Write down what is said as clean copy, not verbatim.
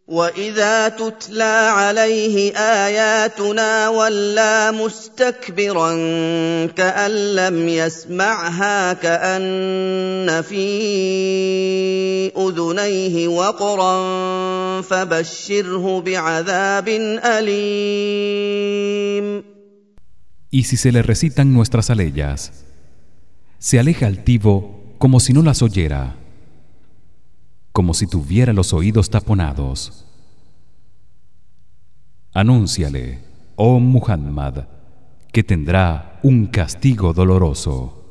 وَإِذَا تُتْلَىٰ عَلَيْهِ آيَاتُنَا وَلَّىٰ مُسْتَكْبِرًا كَأَن لَّمْ يَسْمَعْهَا كَأَنَّ فِي أُذُنَيْهِ وَقْرًا فَبَشِّرْهُ بِعَذَابٍ أَلِيمٍ. Y si se le recitan nuestras aleyas, se aleja altivo como si no las oyera, como si tuviera los oídos taponados. Anúnciale, oh Muhammad, que tendrá un castigo doloroso.